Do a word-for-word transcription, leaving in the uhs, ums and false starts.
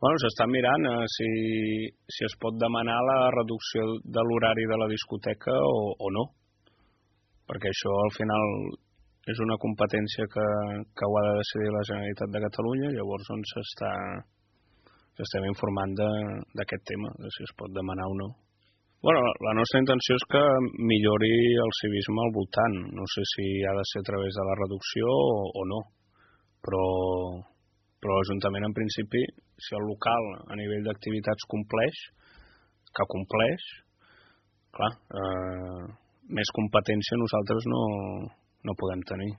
Bueno, s'està mirant eh, si, si es pot demanar la reducció de l'horari de la discoteca o, o no, perquè això al final és una competència que, que ho ha de decidir la Generalitat de Catalunya, llavors on s'està s'estem informant d'aquest tema, de si es pot demanar o no. Bueno, la nostra intenció és que millori el civisme al voltant, no sé si ha de ser a través de la reducció o, o no, però però l'Ajuntament en principi, si el local a nivell d'activitats compleix, que compleix, clar, eh, més competència nosaltres no, no podem tenir.